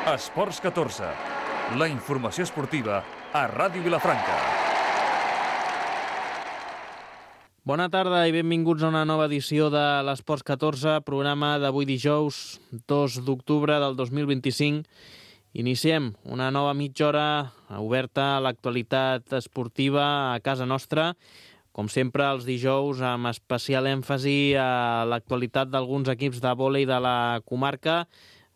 Esports 14, la informació esportiva a Ràdio Vilafranca. Bona tarda i benvinguts a una nova edició de l'Esports 14, programa d'avui dijous, 2 d'octubre del 2025. Iniciem una nova mitja hora oberta a l'actualitat esportiva a casa nostra. Com sempre, els dijous, amb especial èmfasi a l'actualitat d'alguns equips de vòlei de la comarca,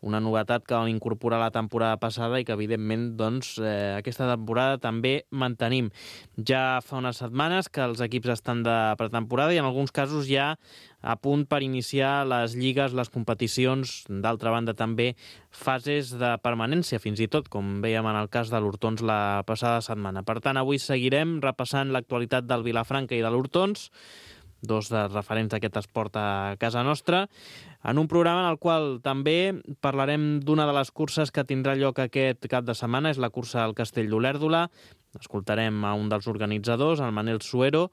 una novetat que vam incorporar la temporada passada i que, evidentment, aquesta temporada també mantenim. Ja fa unes setmanes que els equips estan de pretemporada i, en alguns casos, ja a punt per iniciar les lligues, les competicions, d'altra banda també fases de permanència, fins i tot, com veiem en el cas de l'Hortons la passada setmana. Per tant, avui seguirem repassant l'actualitat del Vilafranca i de l'Hortons, dos dels referents d'aquest esport a casa nostra, en un programa en el qual també parlarem d'una de les curses que tindrà lloc aquest cap de setmana, és la cursa al Castell d'Olèrdola. Escoltarem a un dels organitzadors, el Manel Suero,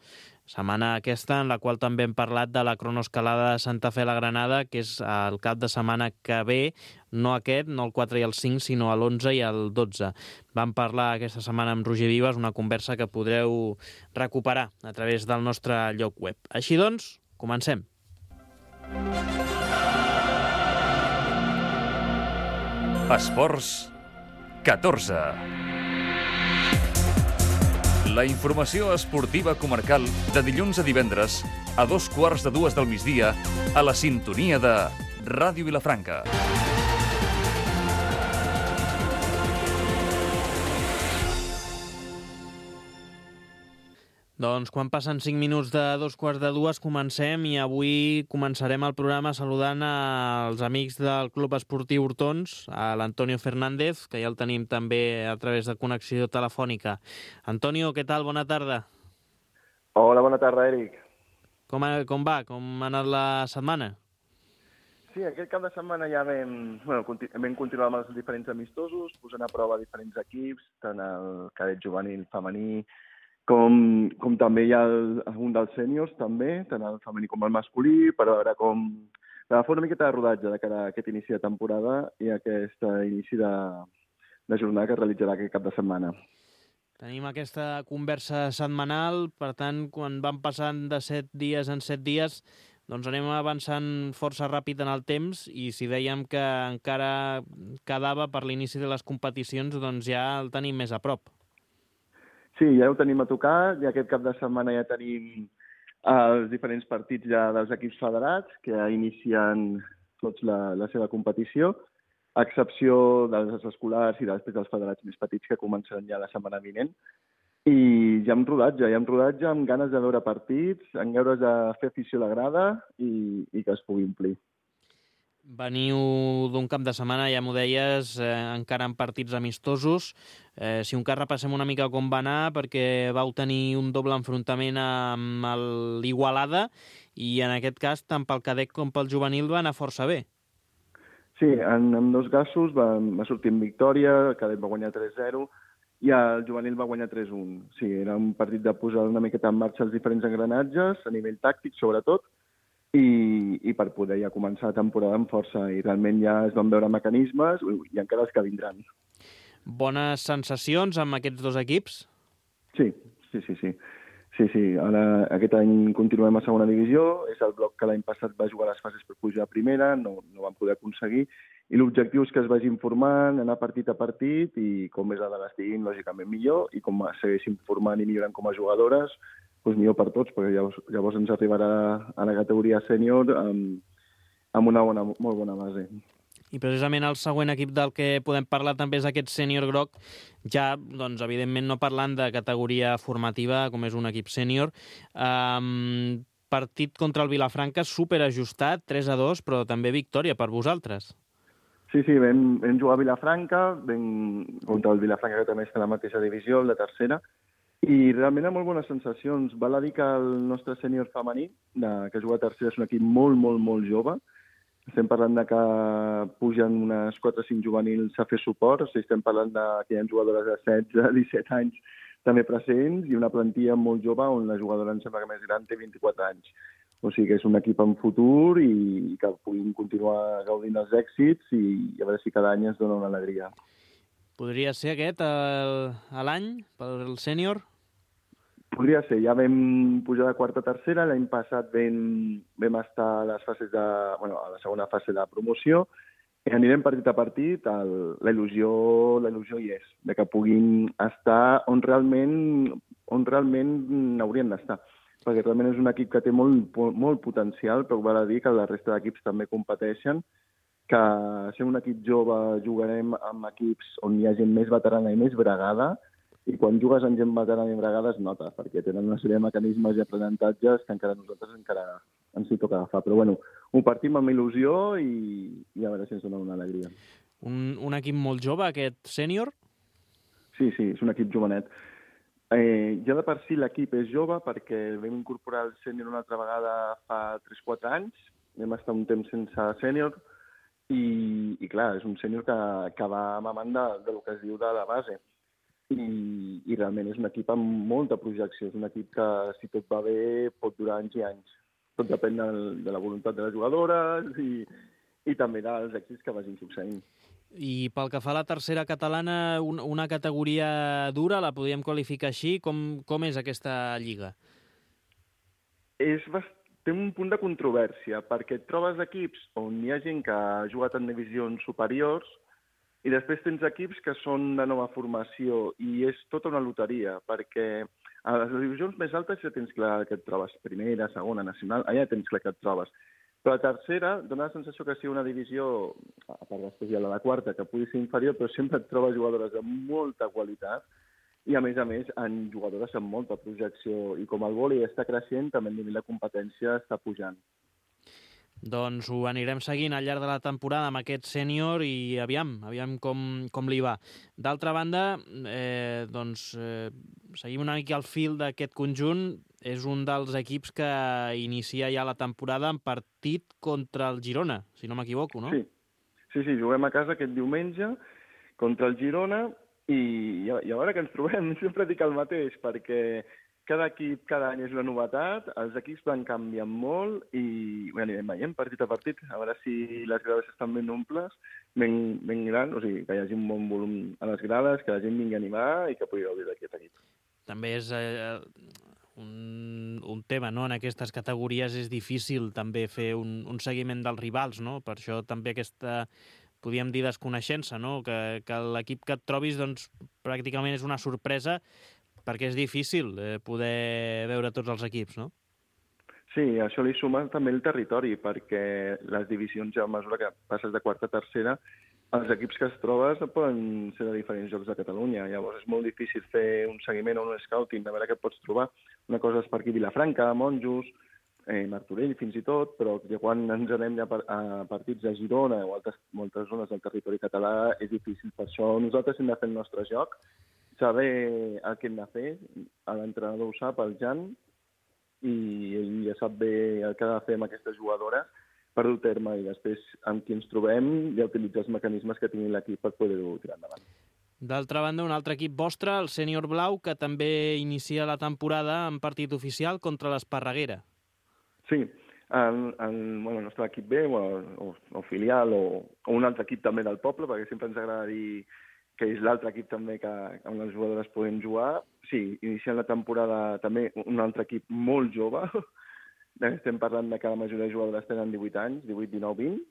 setmana aquesta en la qual també hem parlat de la cronoescalada de Santa Fe a la Granada, que és el cap de setmana que ve, no aquest, no el 4 i el 5, sinó l'11 i el 12. Vam parlar aquesta setmana amb Roger Vives, una conversa que podreu recuperar a través del nostre lloc web. Així doncs, comencem. Esports 14. La informació esportiva comarcal de dilluns a divendres a 2:15 del migdia a la sintonia de Ràdio Vilafranca. Doncs quan passen 5 minuts de 2:15 comencem i avui començarem el programa saludant als amics del Club Esportiu Hortons, a l'Antonio Fernández, que ja el tenim també a través de connexió telefònica. Antonio, què tal? Bona tarda. Hola, bona tarda, Eric. Com va? Com ha anat la setmana? Sí, aquest cap de setmana ja vam continuar amb els diferents amistosos, posant a prova diferents equips, tant el cadet juvenil femení, com també hi ha un dels sèniors, també, tant el femení com el masculí, per veure per fer una miqueta de rodatge de cara a aquest inici de temporada i aquest inici de jornada que es realitzarà aquest cap de setmana. Tenim aquesta conversa setmanal, per tant, quan van passant de 7 dies en 7 dies, doncs anem avançant força ràpid en el temps i si dèiem que encara quedava per l'inici de les competicions, doncs ja el tenim més a prop. Sí, ja ho tenim a tocar, i aquest cap de setmana ja tenim els diferents partits ja dels equips federats que ja inicien tots la seva competició, a excepció dels escolars i després dels federats més petits que començaran ja la setmana vinent. I ja hem rodatge, amb ganes de veure partits, amb ganes de fer afició a la grada i que es pugui omplir. Veniu d'un cap de setmana, ja m'ho deies, encara en partits amistosos. Si un cas repassem una mica com va anar, perquè vau tenir un doble enfrontament amb l'Igualada i en aquest cas tant pel cadet com pel juvenil va anar força bé. Sí, en dos casos va sortir en victòria, el cadet va guanyar 3-0 i el juvenil va guanyar 3-1. Sí, era un partit de posar una miqueta en marxa els diferents engranatges, a nivell tàctic sobretot, i per poder ja començar la temporada amb força. I realment ja es van veure mecanismes i encara els que vindran. Bones sensacions amb aquests dos equips? Sí. Ara, aquest any continuem a segona divisió. És el bloc que l'any passat va jugar les fases per pujar a primera, no van poder aconseguir. I l'objectiu és que es vagin formant, anar partit a partit, i com més dades estiguin, lògicament millor, i com segueixin formant i millorant com a jugadores, doncs millor per tots, perquè llavors ens arribarà a la categoria sènior amb una molt bona base. I precisament el següent equip del que podem parlar també és aquest sènior groc, ja, doncs, evidentment, no parlant de categoria formativa, com és un equip sènior. Partit contra el Vilafranca superajustat, 3-2, però també victòria per vosaltres. Sí, vam jugar a Vilafranca, contra el Vilafranca, que també està a la mateixa divisió, la tercera, i realment amb molt bones sensacions. Val a dir que el nostre sènior femení, que juga a tercera, és un equip molt, molt, molt jove. Estem parlant de que pugen unes 4 o 5 juvenils a fer suport, o sigui, estem parlant que hi ha jugadores de 16, 17 anys també presents i una plantilla molt jove on la jugadora em sembla que més gran té 24 anys. O sigui que és un equip en futur i que puguin continuar gaudint els èxits i a veure si cada any ens dona una alegria. Podria ser aquest l'any pel sènior? Podria ser, ja vam pujar de quarta a tercera, l'any passat vam estar a les fases a la segona fase de promoció i anirem partit a partit, la il·lusió hi és, de que puguin estar on realment haurien d'estar. Perquè realment és un equip que té molt potencial, però val a dir que la resta d'equips també competeixen, que sent un equip jove jugarem amb equips on hi ha gent més veterana i més bregada, i quan jugues amb gent veterana i bregada es nota, perquè tenen una sèrie de mecanismes i aprenentatges que nosaltres ens hi toca agafar. Però bueno, ho partim amb il·lusió i a veure si ens dona una alegria. Un equip molt jove, aquest sènior? Sí, és un equip jovenet. Ja de per si l'equip és jove perquè vam incorporar el sènior una altra vegada fa 3-4 anys, vam estar un temps sense sènior i clar, és un sènior que va mamant del que es diu de la base i realment és un equip amb molta projecció, és un equip que si tot va bé pot durar anys i anys. Tot depèn de la voluntat de les jugadores i també dels èxits que vagin succeint. I pel que fa a la tercera catalana, una categoria dura, la podríem qualificar així? Com és aquesta lliga? Té un punt de controvèrsia, perquè et trobes equips on hi ha gent que ha jugat en divisions superiors i després tens equips que són de nova formació i és tota una loteria, perquè a les divisions més altes ja tens clar que et trobes primera, segona, nacional, allà tens clar que et trobes. Però la tercera dona la sensació que sigui una divisió, a part després hi ha la quarta, que pugui ser inferior, però sempre et trobes jugadores de molta qualitat i, a més, en jugadores amb molta projecció. I com el vòlei està creixent, també el nivell de competència està pujant. Doncs ho anirem seguint al llarg de la temporada amb aquest sènior i aviam com li va. D'altra banda, seguim una mica al fil d'aquest conjunt. És un dels equips que inicia ja la temporada en partit contra el Girona, si no m'equivoco, no? Sí, juguem a casa aquest diumenge contra el Girona i a veure què ens trobem. Sempre dic el mateix, perquè cada equip cada any és una novetat, els equips van canviant molt i anirem veient partit a partit, a veure si les grades estan ben omples, ben grans, o sigui, que hi hagi un bon volum a les grades, que la gent vingui a animar i que pugui gaudir d'aquest equip. També és un tema, no? En aquestes categories és difícil també fer un seguiment dels rivals, no? Per això també aquesta, podríem dir, desconeixença, no? Que l'equip que et trobis, doncs, pràcticament és una sorpresa perquè és difícil poder veure tots els equips, no? Sí, això li suma també el territori, perquè les divisions, ja a mesura que passes de quarta a tercera, els equips que es trobes poden ser de diferents llocs de Catalunya. Llavors és molt difícil fer un seguiment o un scouting, de veure què pots trobar. Una cosa és per aquí Vilafranca, Monjos, Martorell fins i tot, però quan ens anem a partits de Girona o moltes zones del territori català és difícil. Per això nosaltres hem de fer el nostre joc, saber el que hem de fer, l'entrenador ho sap, el Jan, i ell ja sap bé el que ha de fer amb aquestes jugadores per dur terme i després amb qui ens trobem ja utilitzar els mecanismes que tingui l'equip per poder-ho tirar endavant. D'altra banda, un altre equip vostre, el Sènior Blau, que també inicia la temporada en partit oficial contra l'Esparreguera. Sí, el nostre equip B, o filial, o un altre equip també del poble, perquè sempre ens agrada dir que és l'altre equip també que amb les jugadores podem jugar. Sí, iniciant la temporada també un altre equip molt jove. Estem parlant de que la majoria de jugadores tenen 18 anys, 18, 19, 20,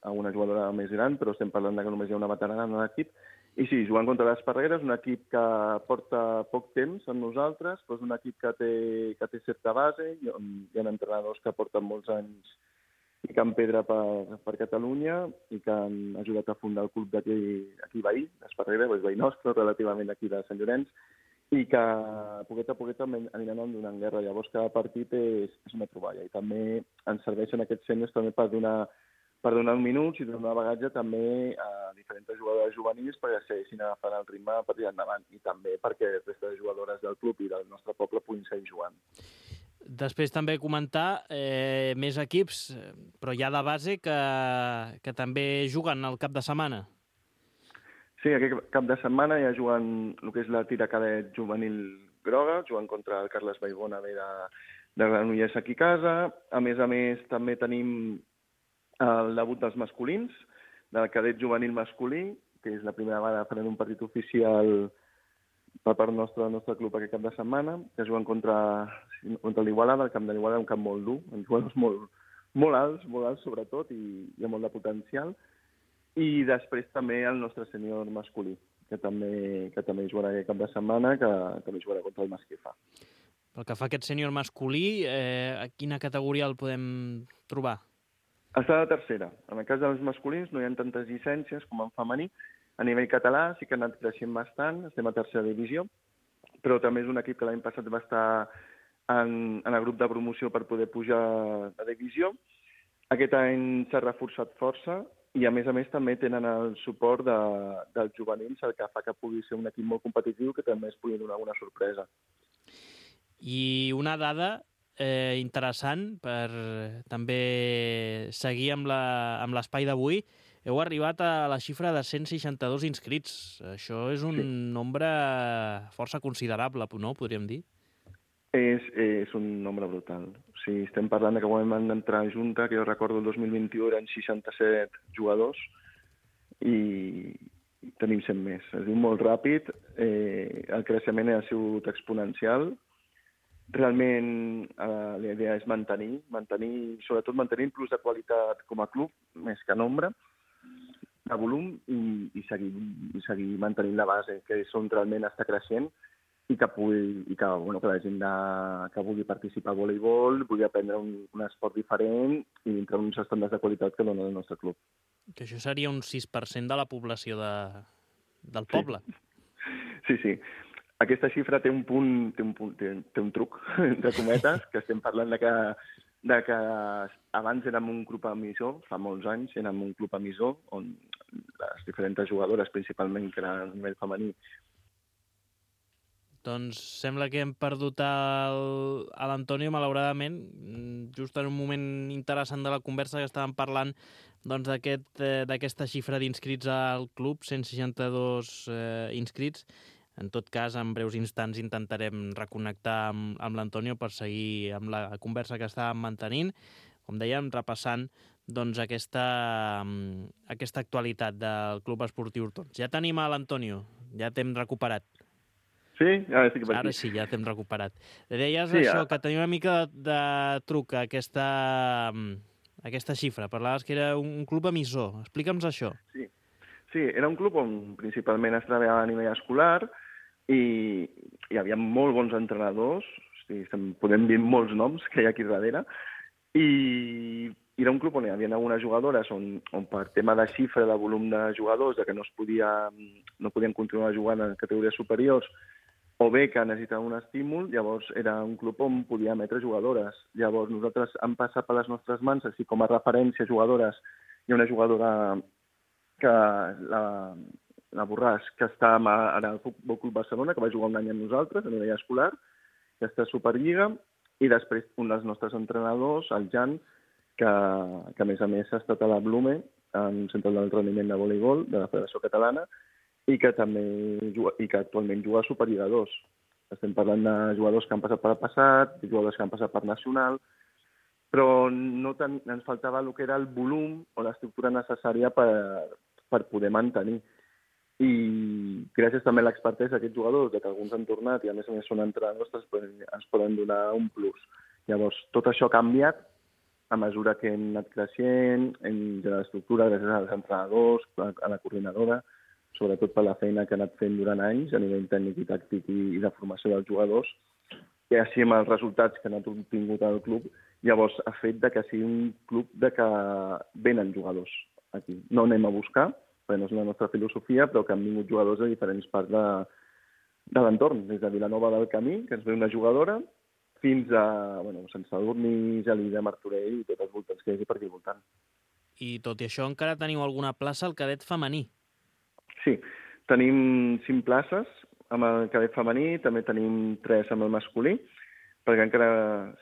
alguna jugadora més gran, però estem parlant de que només hi ha una veterana en l'equip. I sí, jugant contra l'Esparreguera és un equip que porta poc temps amb nosaltres, però és un equip que té certa base, hi ha entrenadors que porten molts anys picant pedra per Catalunya i que han ajudat a fundar el club d'aquí veí, l'Esparreguera, és veí nostre, relativament aquí de Sant Llorenç, i que poquet a poquet aniran donant guerra. Llavors cada partit és una troballa i també ens serveixen aquests sèniors també per donar minuts i donar bagatge també a diferents jugadores juvenils perquè segueixin agafant el ritme per tirar endavant i també perquè la resta de jugadores del club i del nostre poble puguin seguir jugant. Després també comentar més equips, però ja de base, que també juguen el cap de setmana. Sí, aquest cap de setmana ja juguen el que és la tira cadet juvenil groga, jugant contra el Carles Baigona de Granollers aquí a casa. A més, també tenim el debut dels masculins, del cadet juvenil masculí, que és la primera vegada que farem un partit oficial per part nostre, del nostre club aquest cap de setmana, que juguen contra l'Igualada, el camp de l'Igualada, un camp molt dur, uns jugadors molt alts sobretot, i hi ha molt de potencial. I després també el nostre sènior masculí, que també jugarà aquest cap de setmana, que també jugarà contra el Masquefa. Pel que fa a aquest sènior masculí, a quina categoria el podem trobar? Està de tercera. En el cas dels masculins no hi ha tantes llicències com en femení. A nivell català sí que ha anat creixent bastant, estem a tercera divisió, però també és un equip que l'any passat va estar en el grup de promoció per poder pujar a divisió. Aquest any s'ha reforçat força i, a més també tenen el suport dels juvenils, el que fa que pugui ser un equip molt competitiu que també es pugui donar alguna sorpresa. I una dada interessant per també seguir amb l'espai d'avui. Heu arribat a la xifra de 162 inscrits. Això és un nombre força considerable, no? Podríem dir. És un nombre brutal. O sigui, estem parlant de que quan vam entrar a Junta, que jo recordo el 2021 eren 67 jugadors i tenim 100 més. Es diu molt ràpid, el creixement ha sigut exponencial. Realment la idea és sobretot mantenir plus de qualitat com a club, més que nombre, de volum, i seguir mantenint la base, que és on realment està creixent i que la gent que vulgui participar a voleibol, vulgui aprendre un esport diferent i dintre uns estàndards de qualitat que dona el nostre club. Que això seria un 6% de la població del poble. Sí. Aquesta xifra té un truc, entre cometes, que estem parlant de que abans érem un club emissor, fa molts anys érem un club emissor, on les diferents jugadores, principalment, que eren a nivell femení. Doncs sembla que hem perdut a l'Antonio, malauradament, just en un moment interessant de la conversa que estàvem parlant d'aquesta xifra d'inscrits al club, 162 inscrits. En tot cas, en breus instants intentarem reconnectar amb l'Antonio per seguir amb la conversa que estàvem mantenint, com dèiem, repassant aquesta actualitat del Club Esportiu Hortons. Ja tenim a l'Antonio, ja t'hem recuperat. Sí? Ara sí que per aquí. Ara sí, ja t'hem recuperat. Deies això, que tenia una mica de truc a aquesta xifra. Parlaves que era un club emissor. Explica'ns això. Sí, era un club on principalment es treballava a nivell escolar i hi havia molt bons entrenadors, podem dir molts noms que hi ha aquí darrere, i era un club on hi havia algunes jugadores on per tema de xifra, de volum de jugadors, que no podien continuar jugant en categories superiors, o bé que necessitaven un estímul, llavors era un club on podia emetre jugadores. Llavors nosaltres hem passat per les nostres mans, així com a referència jugadores, hi ha una jugadora que la Borràs, que està ara al Futbol Club Barcelona, que va jugar un any amb nosaltres a nivell escolar, que està a Superliga, i després un dels nostres entrenadors, el Jan, que a més ha estat a la Blume, en un centre d'entrenament de voleibol de la Federació Catalana, i que actualment juga a Superliga 2. Estem parlant de jugadors que han passat per el passat, jugadors que han passat per Nacional, però ens faltava el que era el volum o l'estructura necessària per poder mantenir. I gràcies també a l'expertesa d'aquests jugadors, que alguns han tornat i a més són entrenadors, ens poden donar un plus. Llavors, tot això ha canviat a mesura que hem anat creixent, en l'estructura, gràcies als entrenadors, a la coordinadora, sobretot per la feina que ha anat fent durant anys a nivell tècnic i tàctic i de formació dels jugadors, i així amb els resultats que han obtingut al club, llavors ha fet que sigui un club que venen jugadors aquí. No anem a buscar, perquè no és la nostra filosofia, però que han vingut jugadors de diferents parts de l'entorn, des de Vilanova del Camí, que ens ve una jugadora, fins a Sant Sadurní, Gelida, Martorell i tots els voltants que hi hagi per aquí voltant. I tot i això encara teniu alguna plaça al cadet femení? Sí, tenim 5 places amb el cadet femení, també tenim 3 amb el masculí, perquè encara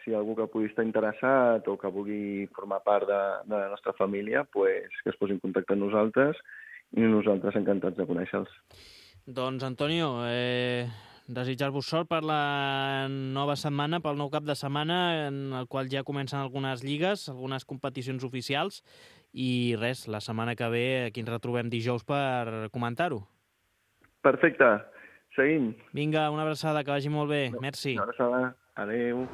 si hi ha algú que pugui estar interessat o que vulgui formar part de la nostra família, que es posi en contacte amb nosaltres i nosaltres encantats de conèixer-los. Doncs, Antonio, desitjar-vos sort per la nova setmana, pel nou cap de setmana, en el qual ja comencen algunes lligues, algunes competicions oficials, i res, la setmana que ve aquí ens retrobem dijous per comentar-ho. Perfecte, seguim. Vinga, una abraçada, que vagi molt bé. Merci. Una abraçada, adeu.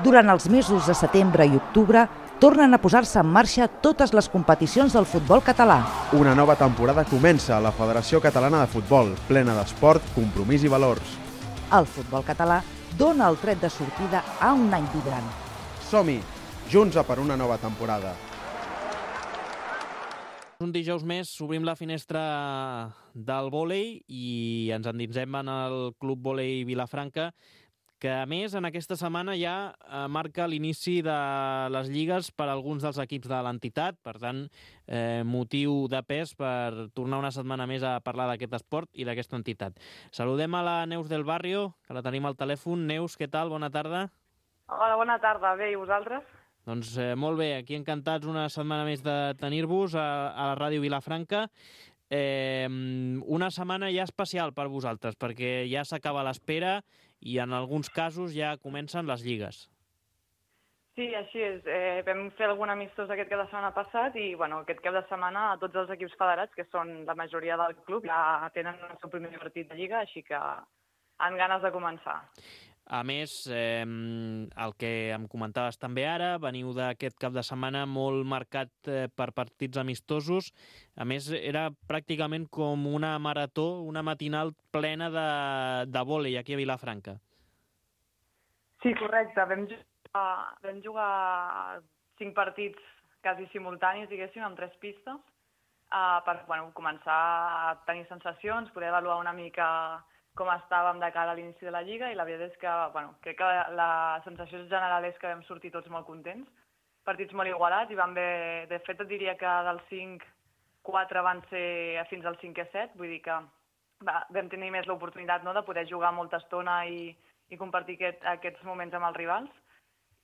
Durant els mesos de setembre i octubre, tornen a posar-se en marxa totes les competicions del futbol català. Una nova temporada comença a la Federació Catalana de Futbol, plena d'esport, compromís i valors. El futbol català dona el tret de sortida a un any vibrant. Som-hi, junts a per una nova temporada. Un dijous més obrim la finestra del vòlei i ens endinsem en el Club Vòlei Vilafranca, que a més en aquesta setmana ja marca l'inici de les lligues per a alguns dels equips de l'entitat, per tant, motiu de pes per tornar una setmana més a parlar d'aquest esport i d'aquesta entitat. Saludem a la Neus del Barrio, que la tenim al telèfon. Neus, què tal? Bona tarda. Hola, bona tarda. Bé, i vosaltres? Doncs molt bé, aquí encantats una setmana més de tenir-vos a la Ràdio Vilafranca. Una setmana ja especial per vosaltres, perquè ja s'acaba l'espera i en alguns casos ja comencen les lligues. Sí, així és. Vam fer algun amistós aquest cap de setmana passat i aquest cap de setmana tots els equips federats, que són la majoria del club, ja tenen el seu primer partit de lliga, així que han ganes de començar. A més, el que em comentaves també ara, veniu d'aquest cap de setmana molt marcat per partits amistosos. A més, era pràcticament com una marató, una matinal plena de vòlei aquí a Vilafranca. Sí, correcte. Vam jugar 5 partits quasi simultanis, diguéssim, amb 3 pistes, per començar a tenir sensacions, poder avaluar una mica com estàvem de cara a l'inici de la Lliga, i la veritat és que crec que la sensació general és que vam sortir tots molt contents. Partits molt igualats, i de fet et diria que dels 5, 4 van ser fins al 5è set, vull dir que vam tenir més l'oportunitat de poder jugar molta estona i compartir aquests moments amb els rivals,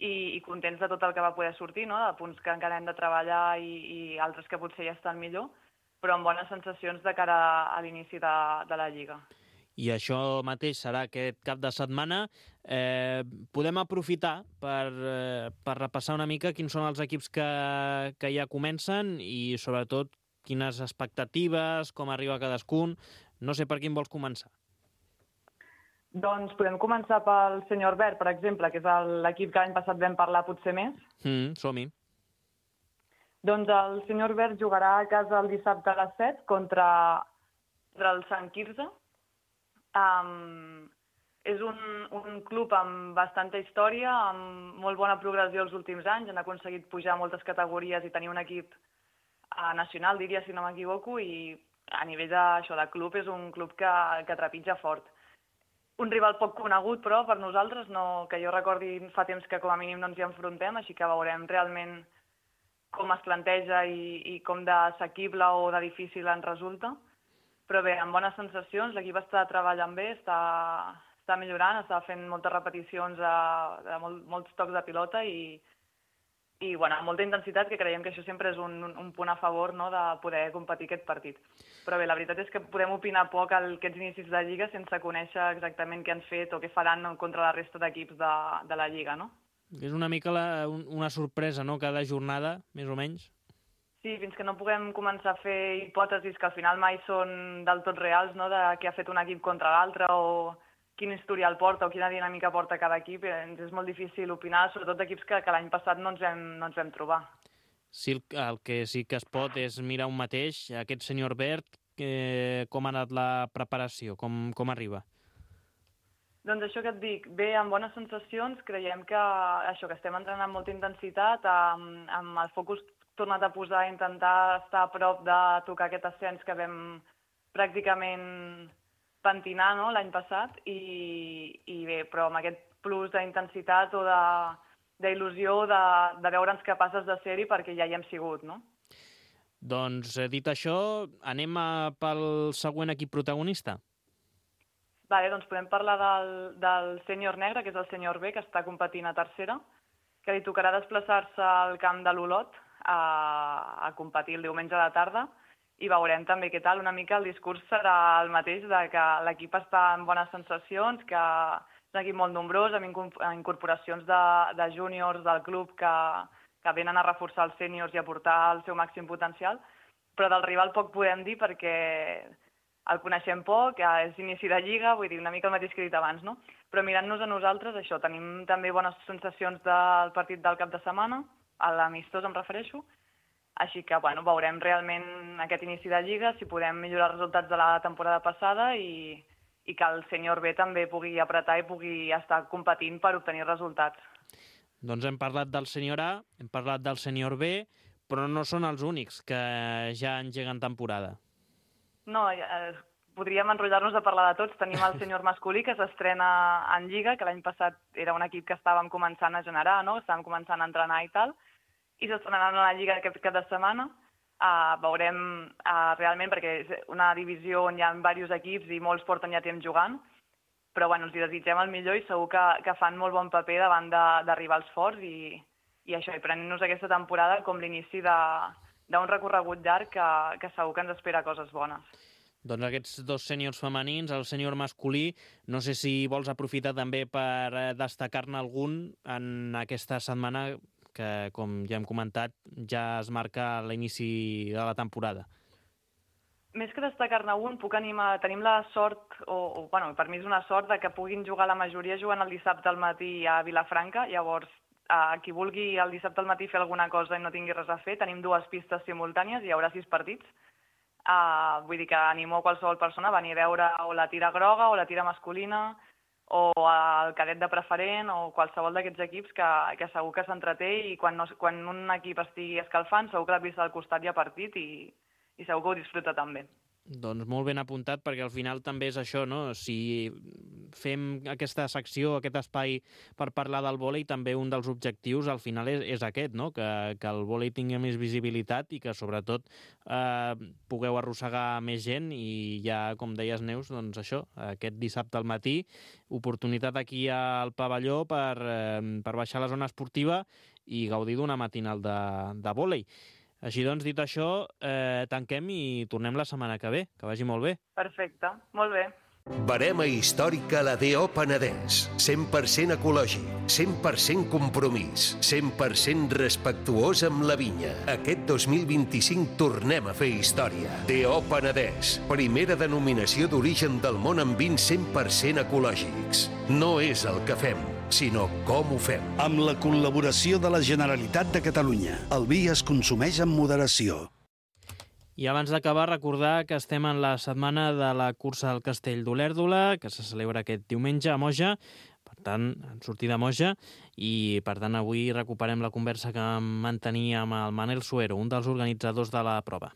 i contents de tot el que va poder sortir, de punts que encara hem de treballar i altres que potser ja estan millor, però amb bones sensacions de cara a l'inici de la Lliga. I això mateix serà aquest cap de setmana. Podem aprofitar per repassar una mica quins són els equips que ja comencen i, sobretot, quines expectatives, com arriba cadascun. No sé per quin vols començar. Doncs podem començar pel Senyor Verd, per exemple, que és l'equip que l'any passat vam parlar potser més. Som-hi. Doncs el Senyor Verd jugarà a casa el dissabte a les 7 contra el Sant Quirze. És un club amb bastanta història, amb molt bona progressió els últims anys. Han aconseguit pujar moltes categories i tenir un equip nacional, diria, si no m'equivoco, i a nivell de club és un club que trepitja fort. Un rival poc conegut, però, per nosaltres, que jo recordi fa temps que com a mínim no ens hi enfrontem, així que veurem realment com es planteja i com d'assequible o de difícil en resulta. Però bé, amb bones sensacions, l'equip està treballant bé, està millorant, està fent moltes repeticions de molts tocs de pilota i amb molta intensitat, que creiem que això sempre és un punt a favor de poder competir aquest partit. Però bé, la veritat és que podem opinar poc aquests inicis de Lliga sense conèixer exactament què han fet o què faran contra la resta d'equips de la Lliga, no? És una mica una sorpresa, no?, cada jornada, més o menys. Sí, fins que no puguem començar a fer hipòtesis que al final mai són del tot reals, de què ha fet un equip contra l'altre o quin historial porta o quina dinàmica porta cada equip, ens és molt difícil opinar, sobretot d'equips que l'any passat no ens vam trobar. Sí, el que sí que es pot és mirar un mateix, aquest Senyor Verd, com ha anat la preparació, com arriba? Doncs això que et dic, bé, amb bones sensacions, creiem que estem entrant amb molta intensitat, amb el focus tornat a posar, intentar estar a prop de tocar aquest ascens que vam pràcticament pentinar l'any passat, i bé, però amb aquest plus d'intensitat o d'il·lusió de veure'ns capaces de ser-hi perquè ja hi hem sigut, no? Doncs, dit això, anem pel següent equip protagonista. Vale, doncs podem parlar del Sènior Negre, que és el Senyor B, que està competint a tercera, que li tocarà desplaçar-se al camp de l'Olot a competir el diumenge a la tarda, i veurem també què tal. Una mica el discurs serà el mateix, de que l'equip està en bones sensacions, que és un equip molt nombrós, amb incorporacions de júniors del club que venen a reforçar els sèniors i a portar el seu màxim potencial, però del rival poc podem dir perquè el coneixem poc, és inici de lliga, vull dir, una mica el mateix que he dit abans, no? Però mirant-nos a nosaltres, això, tenim també bones sensacions del partit del cap de setmana, a l'amistós em refereixo, així que, bueno, veurem realment aquest inici de lliga, si podem millorar els resultats de la temporada passada i que el sènior B també pugui apretar i pugui estar competint per obtenir resultats. Doncs hem parlat del sènior A, hem parlat del sènior B, però no són els únics que ja engeguen temporada. No, podríem enrotllar-nos a parlar de tots. Tenim el sènior masculí, que s'estrena en Lliga, que l'any passat era un equip que estàvem començant a generar, no? Estàvem començant a entrenar i tal, i s'estrenaran a la Lliga aquest cap de setmana. Veurem realment, perquè és una divisió on hi ha diversos equips i molts porten ja temps jugant, però bueno, els desitgem el millor i segur que fan molt bon paper davant de rivals forts i això, i prenent-nos aquesta temporada com l'inici d'un recorregut llarg que segur que ens espera coses bones. Doncs aquests dos sèniors femenins, el sènior masculí, no sé si vols aprofitar també per destacar-ne algun en aquesta setmana que, com ja hem comentat, ja es marca l'inici de la temporada. Més que destacar-ne un, puc animar, tenim la sort, bueno, per mi és una sort, de que puguin jugar la majoria jugant el dissabte al matí a Vilafranca. Llavors, qui vulgui el dissabte al matí fer alguna cosa i no tingui res a fer, tenim 2 pistes simultànies, hi haurà 6 partits. Vull dir que animo qualsevol persona a venir a veure o la tira groga o la tira masculina, o el cadet de preferent, o qualsevol d'aquests equips que segur que s'entreté i quan un equip estigui escalfant segur que la pista del costat hi ha partit i segur que ho disfruta també. Doncs molt ben apuntat, perquè al final també és això, no? Si fem aquesta secció, aquest espai per parlar del vòlei, també un dels objectius al final és aquest, no? Que el vòlei tingui més visibilitat i que sobretot pugueu arrossegar més gent i ja, com deies, Neus, doncs això, aquest dissabte al matí, oportunitat aquí al pavelló per baixar la zona esportiva i gaudir d'una matinal de vòlei. Així doncs, dit això, tanquem i tornem la setmana que ve. Que vagi molt bé. Perfecte, molt bé. Barema històrica a la DO Penedès. 100% ecològic, 100% compromís, 100% respectuós amb la vinya. Aquest 2025 tornem a fer història. DO Penedès, primera denominació d'origen del món amb vins 100% ecològics. No és el que fem, sinó com ho fem. Amb la col·laboració de la Generalitat de Catalunya. El vi es consumeix amb moderació. I abans d'acabar, recordar que estem en la setmana de la cursa del Castell d'Olèrdola, que se celebra aquest diumenge a Moja, per tant, en sortida a Moja, i per tant avui recuperem la conversa que vam mantenir amb el Manel Suero, un dels organitzadors de la prova.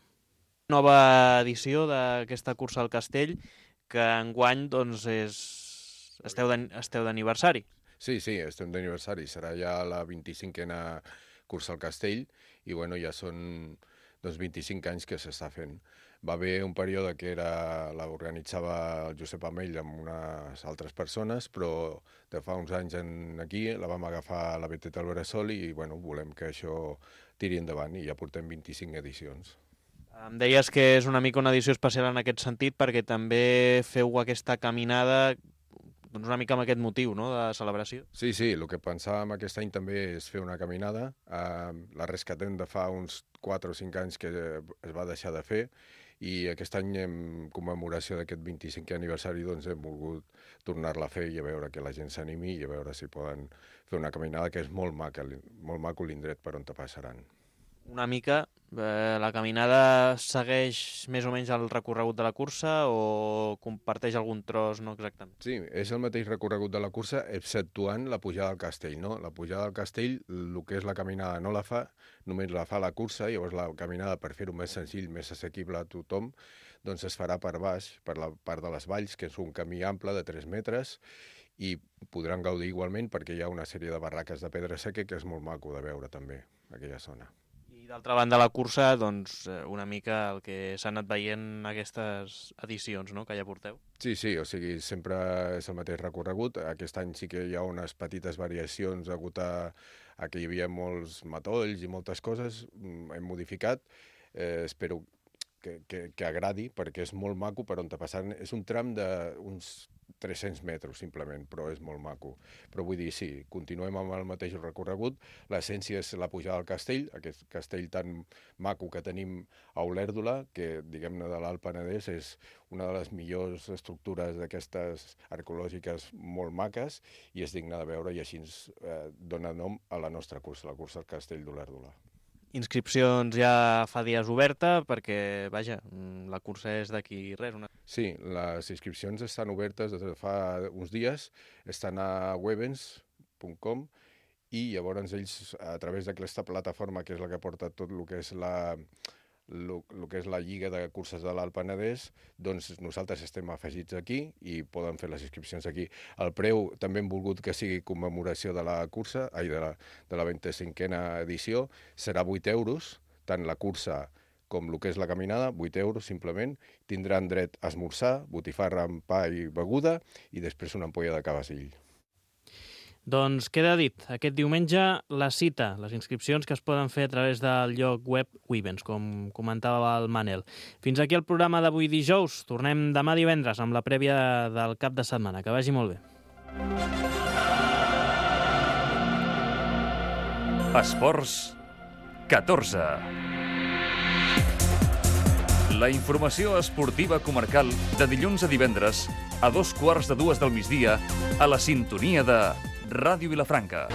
Nova edició d'aquesta cursa del Castell, que enguany doncs, esteu d'aniversari. Sí, estem d'aniversari. Serà ja la 25a cursa al Castell i bueno, ja són 25 anys que s'està fent. Va haver un període que l'organitzava el Josep Amell amb unes altres persones, però de fa uns anys aquí la vam agafar la BTT Alberesol i bueno, volem que això tiri endavant i ja portem 25 edicions. Em deies que és una mica una edició especial en aquest sentit perquè també feu aquesta caminada doncs una mica amb aquest motiu, no?, de celebració. Sí, el que pensàvem aquest any també és fer una caminada. La rescatem de fa uns 4 o 5 anys que es va deixar de fer i aquest any, en commemoració d'aquest 25è aniversari, doncs hem volgut tornar-la a fer i a veure que la gent s'animi i a veure si poden fer una caminada que és molt maco l'indret per on te passaran. Una mica, la caminada segueix més o menys el recorregut de la cursa o comparteix algun tros, no exactament? Sí, és el mateix recorregut de la cursa, exceptuant la pujada al castell, no? La pujada al castell, el que és la caminada no la fa, només la fa la cursa, llavors la caminada, per fer-ho més senzill, més assequible a tothom, doncs es farà per baix, per la part de les valls, que és un camí ample de 3 metres, i podran gaudir igualment perquè hi ha una sèrie de barraques de pedra seca que és molt maco de veure també, aquella zona. I d'altra banda la cursa, doncs una mica el que s'ha anat veient en aquestes edicions, no?, que ja porteu. Sí, o sigui, sempre és el mateix recorregut. Aquest any sí que hi ha unes petites variacions degut a que hi havia molts matolls i moltes coses. Hem modificat. Espero que agradi, perquè és molt maco per on te passant. És un tram d'uns 300 metres, simplement, però és molt maco. Però vull dir, sí, continuem amb el mateix recorregut. L'essència és la pujada al castell, aquest castell tan maco que tenim a Olèrdola, que, diguem-ne, de l'Alt Penedès és una de les millors estructures d'aquestes arqueològiques molt maques i és digne de veure i així ens dona nom a la nostra cursa, la cursa al castell d'Olèrdola. Inscripcions ja fa dies oberta perquè, vaja, la cursa és d'aquí res. Sí, les inscripcions estan obertes des de fa uns dies, estan a webens.com i llavors ells, a través d'aquesta plataforma, que és la que porta tot el que és la Lliga de Curses de l'Alt Penedès, doncs nosaltres estem afegits aquí i poden fer les inscripcions aquí. El preu també hem volgut que sigui commemoració de la cursa, de la 25a edició, serà 8 euros, tant la cursa com el que és la caminada, 8 euros simplement. Tindran dret a esmorzar, botifarra amb pa i beguda i després una ampolla de cavassill. Doncs queda dit, aquest diumenge la cita, les inscripcions que es poden fer a través del lloc web Wivens, com comentava el Manel. Fins aquí el programa d'avui dijous. Tornem demà divendres amb la prèvia del cap de setmana. Que vagi molt bé. Esports 14. La informació esportiva comarcal de dilluns a divendres a 2:15 del migdia a la sintonia de Ràdio Vilafranca.